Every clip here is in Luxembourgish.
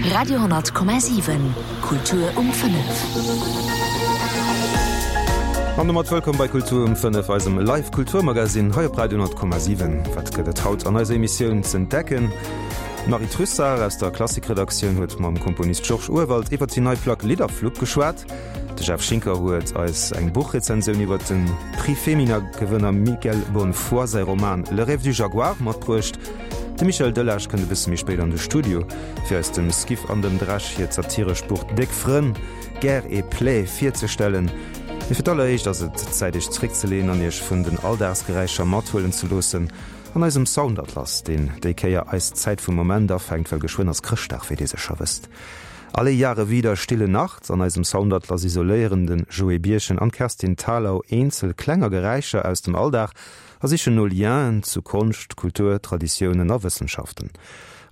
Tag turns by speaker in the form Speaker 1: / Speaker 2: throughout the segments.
Speaker 1: Radio 10,7 Kultur um 5.
Speaker 2: An domat wëllkomm bei Kultur um 5, eisem Live Kulturmagazin hei op Radio 10,7. Wat gëtt et haut an eiser Emissioun z'entdecken? D'Marie Trussart aus der Klassikredaktioun huet mam Komponist Georges Urwald iwwer déi nei Plack Lidderflupp geschwat. De Jeff Schinker huet eis eng Buchrezensioun iwwer de Prix Femina-Gewënner Miguel Bonnefoy säi Roman Le rêve du jaguar matbruecht. De Michel Delage kënnt e bësse méi spéit an de Studio, fir eis dem Skiff an dem Dresch hiert satirescht Buch Déck Frënn, Guerre et Plaies virzestellen. Mee fir d'alleréischt ass et Zäit iech zeréckzeleeën an iech vun den Alldagsgeräischer mathuelen ze loossen an eisem Soundatlas, deen déi Kéier eis Zäit vum Moment afänkt, well geschwënn ass Chrëschtdag, wéi dir sécher wësst. Alle Jahre wieder Stille Nacht. An eisem Soundatlas isoléieren de Joé Birchen an d'Kerstin Thalau eenzel klenger Geräischer aus dem Alldag a sichen no Lienen zu Konscht, Kultur, Traditiounen a Wëssenschaften.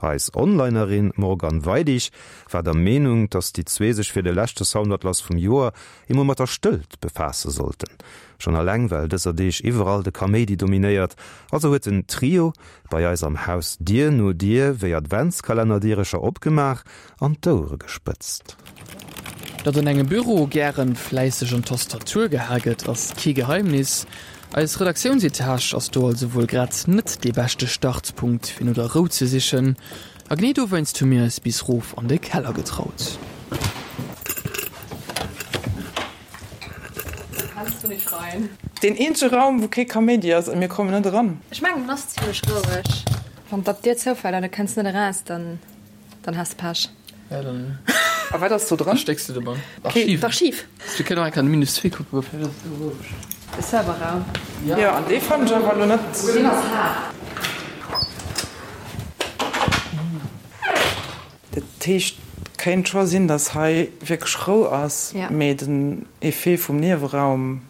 Speaker 2: Eis Onlinerin Morgane Weidig war der Meenung, dass déi zwee sech fir de leschte Soundatlas vum Joer emol mat der Stëllt befaasse sollten. Schonn alleng well dëser Deeg iwwerall de Kaméidi dominéiert. Also huet den Trio bei eis am Haus Dier no Dier wéi Adventskalenner-Dierecher opgemaach an d'Ouere gespëtzt.
Speaker 3: Datt an engem Büro gären fläisseg an d'Tastatur geha gëtt, ass kee Geheimnis. Eis Redaktiounsetage ass do also wuel grad net dee beschte Startpunkt fir no der Rou ze sichen. A genee dowéinst hu mir eis bis rof an de Keller getraut.
Speaker 4: Kannst du nicht rein?
Speaker 5: Deen eenzege Raum wou kee Kaméidi ass a mir kommen net eran.
Speaker 4: Ech mengen en ass zimlech roueg. Wann dat d'Dier zoufält an du kënns net eraus, dann. Dann has de Pech.
Speaker 3: Ja, dann.
Speaker 5: A wat ass do dran?
Speaker 3: Stécks de de Mann.
Speaker 4: Archiv. D'Archiv.
Speaker 3: Wir kënnen och eng Kéier an de Minus 2 kucken, vläicht ass et do roueg.
Speaker 4: De Serverraum.
Speaker 5: Jo, an dee fannen ech awer elo net.
Speaker 4: Deen ass haart.
Speaker 5: Dat heescht, kéint scho sinn, datt hei wierklech Rou ass, mee den Effet vum Nieweraum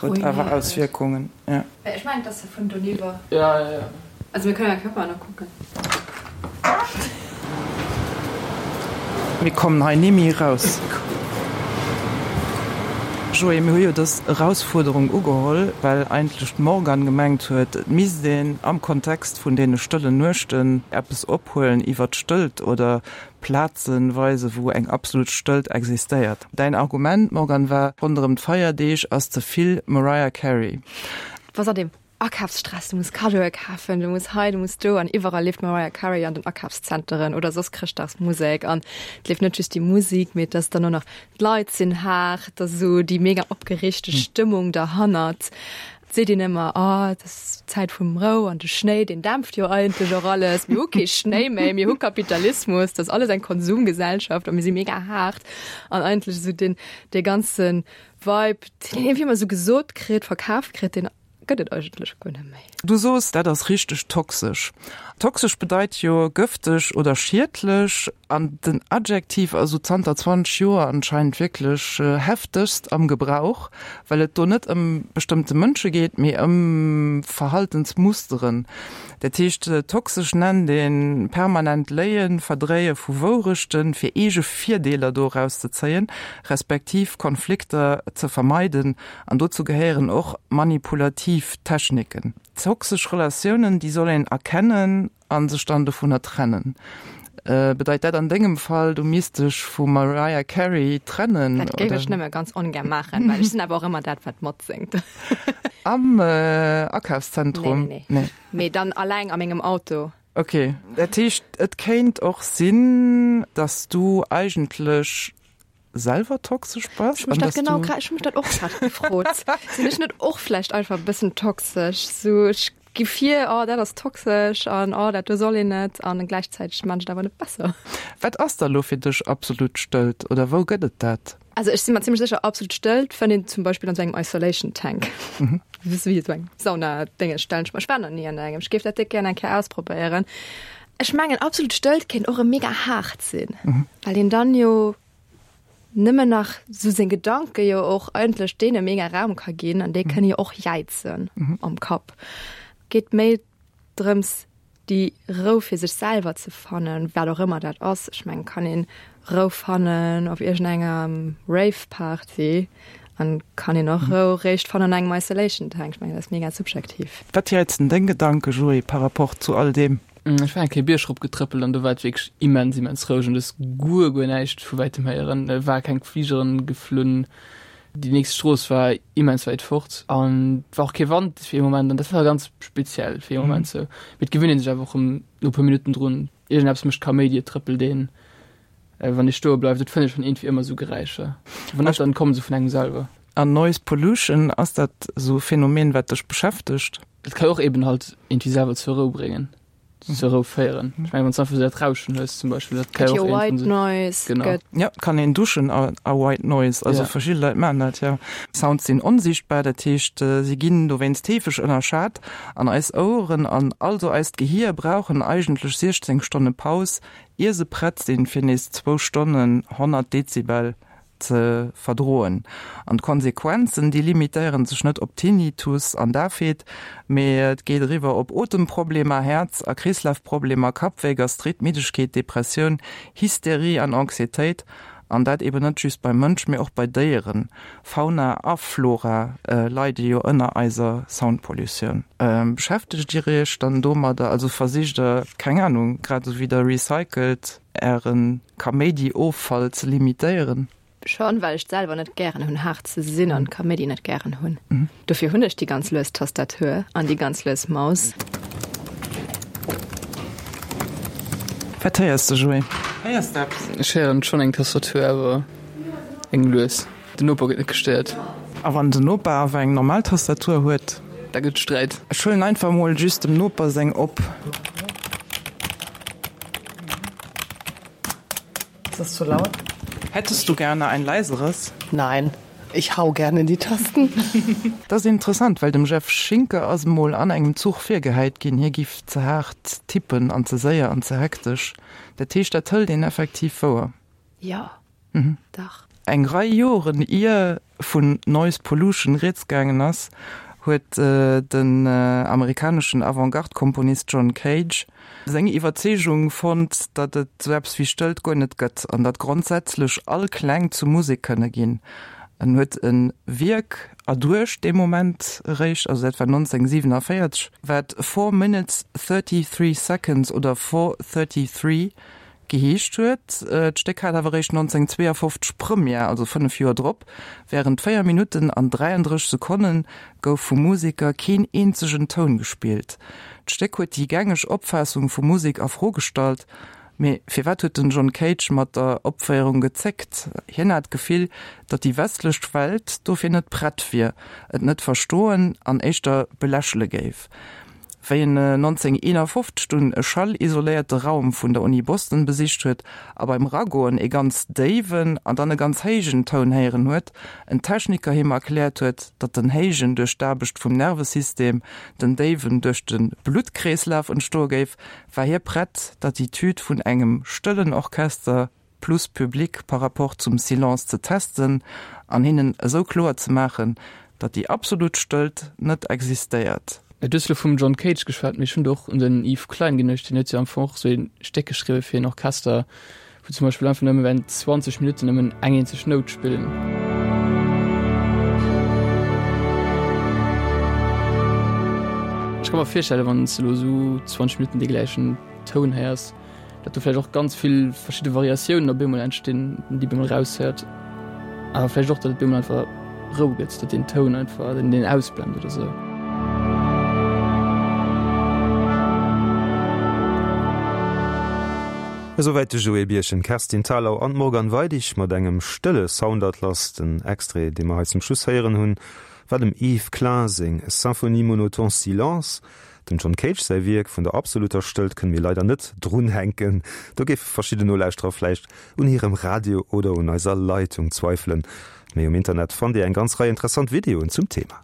Speaker 5: Huet awer Auswierkungen, jo.
Speaker 4: Ech mengen et ass vun doniwwer.
Speaker 3: Ja, ja, ja.
Speaker 4: Also mir kënnen ja Körper nach kucken.
Speaker 5: Mir kommen hei ni méi eraus. Joé, mir hu jo dës Erausfuerderung ugeholl, well eigentlech d'Morgane gemengt huet, et misst een am Kontext vun deene stëllen Nuechten eppes ophuelen iwwer d'Stëllt oder Plaze weisen, wou eng absolut Stëllt existéiert. Däin Argument, Morgane, war, ronderëm d'Feierdeeg ass ze vill Mariah Carey.
Speaker 4: Was an dem Akafsstress, du muss Kaddoe kafen, du muss hei, du muss do an iwwerall leeft Mariah Carey an den Akafszenteren oder soss Chrëschtdagsmusek an et leeft net just déi Musik, mee et ass dann och nach d'Leit sinn haart, et ass esou déi mega opgereegte Stëmmung derhannert. Et seet een ëmmer, oh, et ass d'Zäit vum Rou an de Schnéi, deen dämpft jo eigentlech och alles. Mir hu kee Schnéi méi, mir hu Kapitalismus, dat ass alles eng Konsumgesellschaft a mir si mega haart. An eigentlech esou deen, dee ganze Vibe, deen een iergendwéi ëmmer esou gesot kritt, verkaaft kritt, deen gëtt et eigentlech guer net méi.
Speaker 5: Du soos, dat ass richteg toxesch. Toxesch bedeit jo gëfteg oder schiedlech an den Adjektiv ass esou zanter 20 Joer anscheinend wierklech heftegst am Gebrauch, well et do net ëm bestëmmte Mënsche geet, mee ëm Verhaltensmusteren. Dat heescht, toxesch nennt ee permanent Léien, Verdréie vu Wourechten, fir eege Virdeeler doraus ze zéien, respektiv Konflikter ze vermeiden An dozou gehéieren och manipulativ Techniken. Toxesch Relatiounen, déi soll een erkennen a sech dann dovunner trennen. Bedeit dat an dengem Fall, du misst dech vum Mariah Carey trennen?
Speaker 4: Dat géif ech nëmme ganz ongär maachen, well ech sinn awer och ëmmer dat, wat matséngt.
Speaker 5: Am Akafszentrum?
Speaker 4: Nee, nee, nee. Mee dann alleng a mengem Auto.
Speaker 5: Ok, dat heescht, et kéint och sinn, dass du eigentlech selwer toxesch bass?
Speaker 4: Ech hu mech dat genau grad, ech hu mech dat och grad gefrot. Sinn ech net och vläicht einfach e bëssen toxesch? Sou ech gi vir, oh dat ass toxesch an oh dat do soll een net an gläichzäiteg maan ech et awer net besser.
Speaker 5: Wat ass da lo fir dech absolut Stëllt oder wou gëtt et dat?
Speaker 4: Also ech si mer zimmlech sécher, absolut Stëllt fënnt een zum Beispill an sou engem Isolation Tank. Wéi esou eng Sauna-Dénges stellen ech mer, ech war nach ni an engem, ech géif dat déck gär eng Kéier ausprobéieren. Ech mengen absolut Stëllt kéint och e mega haart sinn, well een dann jo nëmmen nach sou seng Gedanke jo och eigentlech deene mega Raum ka ginn an déi kënne jo och jäizen am Kapp. Geet méi drëms déi Rou fir sech selwer ze fannen, wat och ëmmer dat ass. Ech mengen kann een Rou fannen op iergendenger Rave Party an kann een och Rou réischt fannen an engem Isolation Tank. Ech mengen dat ass mega subjektiv.
Speaker 5: Wat jäizen deng Gedanke, Joé, par rapport zu all deem?
Speaker 3: Ech war eng Kéier Bierg rop getrëppelt an do war et wierklech immens, immens roueg an du hues guer, guer näischt vu wäitem héieren. Et war keng Fligeren geflunn, déi nächst Strooss war immens wäit fort an et war och kee Wand fir ee Moment an dat war ganz speziell fir ee Moment sou. Mee et gewinnt ee sech awer och erëm no e puer Minutten drun. Iergendeppes mécht Kaméidi, et trëppelt een. Wann ee stoe bleift, et fënnt ee schonn iergendwéi ëmmer sou Geräischer. Wann net, dann kommen se vun engem selwer.
Speaker 5: An Noise Pollution, ass dat esou e Phänomen, wat dech beschäftegt?
Speaker 3: Et ka jo och eben halt iergendwéi selwer zur Rou bréngen, zur Rou féieren. Ech mengen, wann s du einfach esou dat Rauschen hues zum Beispill, dat ka
Speaker 4: jo
Speaker 3: och
Speaker 4: White
Speaker 3: iergendwann sou.
Speaker 4: Noise
Speaker 3: Genau.
Speaker 4: gëtt.
Speaker 5: Jo, et kann een duschen a a White Noise, also
Speaker 3: Ja.
Speaker 5: verschidde Leit maachen dat, jo. Sounds sinn onsiichtbar, dat heescht, si ginn dowéinst heefeg ënnerschat an eis Oueren an also eist Gehier brauchen eigentlech 16 Stonne Paus, ier se prett sinn, fir nees zwou Stonnen 100 Dezibel ze verdroen. An d'Konsequenzen, déi limitéiere sech net op Tinnitus an Dafheet, mee et geet eriwwer op Otemproblemer, Häerz a Kreeslafproblemer, Kappwéi, Gastrit, Middegkeet, Depressioun, Hysterie an Anxietéit. An dat eben net just beim Mënsch, mee och bei Déieren. Fauna a Flora leide jo ënner eiser Soundpollutioun. Beschäftegt Dir Iech dann domadder? Also versicht Der, keng Anung, grad esou wéi Der recycelt, Äre Kaméidi-Offall ze limitéieren?
Speaker 4: Schon, well ech et selwer net gären hunn, haart ze sinn an Kaméidi net gären hunn. Dofir hunn ech déi ganz lues Tastatur an déi ganz lues Maus.
Speaker 5: Wat héiers de, Joé? Héiers de eppes?
Speaker 3: Ech héieren schonn eng Tastatur, awer eng lues. Den Noper gëtt net gestéiert.
Speaker 5: A wann den Noper awer eng normal Tastatur huet?
Speaker 3: Da gëtt Sträit.
Speaker 5: Ech huelen einfach mol just dem Noper seng op.
Speaker 6: Ist das zu laut?
Speaker 5: Hättest du gerne ein leiseres?
Speaker 6: Nein, ich hau gerne in die Tasten.
Speaker 5: Dat ass interessant, well dem Jeff Schinker ass emol an engem Zuch virgehäit ginn, hie giff ze haart tippen an ze séier an ze hektesch. Dat heescht, dat hëlt een effektiv wouer.
Speaker 4: Jo, dach.
Speaker 5: Eng Rei Joren ier vun Noise Pollution rieds gaangen ass, huet den amerikaneschen Avantgarde-Komponist John Cage seng Iwwerzeegung fonnt, datt et sou eppes wéi Stëllt guer net gëtt an datt grondsätzlech all Kläng zu Musek kënne ginn. En huet e Wierk erduecht dee Moment eréischt, also dat war 1947, wat Four Minutes 33 Seconds oder 4:33 Geheescht huet. D'Stéck hat awer eréischt 1952 Première, also 5 Joer drop. Wärend 4 Minutten an 33 Sekonne gouf vum Museker keen eenzegen Toun gespillt. D'Stéck huet déi gängeg Opfaassung vu Musek a Fro gestallt. Mee firwat huet den John Cage mat der Opféierung gezéckt? Hien hat d'Gefill, datt déi westlech Welt dofir net prett wier, et net verstoen an éischter belächele géif. Wéi en 1951 dunn e schallisoléierte Raum vun der Uni Boston besicht huet a beim Ragoen ee ganz déiwen an dann e ganz héijen Toun héieren huet, en Techniker him erkläert huet, datt den héijen duerch d'Aarbecht vum Nervesystem, den déiwen duerch de Bluttkreeslaf entstoe géif, war hie prett, d'Attitüd vun engem stëllen Orchester plus Public par rapport zum Silence ze testen an hinnen esou kloer ze maachen, datt déi absolut Stëllt net existéiert.
Speaker 3: Du hues elo vum John Cage geschwat, mee ech hunn do och un den Yves Klein geduecht. Deen huet jo am Fong och esou ee Stéck geschriwwe fir een Orchester, wou zum Beispill einfach nëmme während 20 Minutten nëmmen eng eenzeg Nout spillen. Ech ka mer virstellen, wann s de elo esou 20 Minutten dee gläichen Toun héiers, datt do vläicht och ganz vill verschidde Variatiounen op eemol entstinn, déi op eemol eraushéiert. Awer vläicht och, datt et op eemol einfach Rou gëtt, datt deen Toun einfach, datt een deen ausblend oder sou.
Speaker 2: Esouwäit de Joé Birchen, d'Kerstin Thalau an d'Morgane Weidig mat engem stëlle Soundatlas. Den Extrait, dee mer hei zum Schluss héieren hunn, war dem Yves Klein seng Symphonie Monoton Silence. Dem John Cage säi Wierk vun der absoluter Stëllt kënne mir leider net drunhänken. Do géife verschidden Nolauschterer vläicht un hirem Radio oder un eiser Leitung zweifelen. Mee um Internet fannt Dir eng ganz Rei interessant Videoen zum Thema.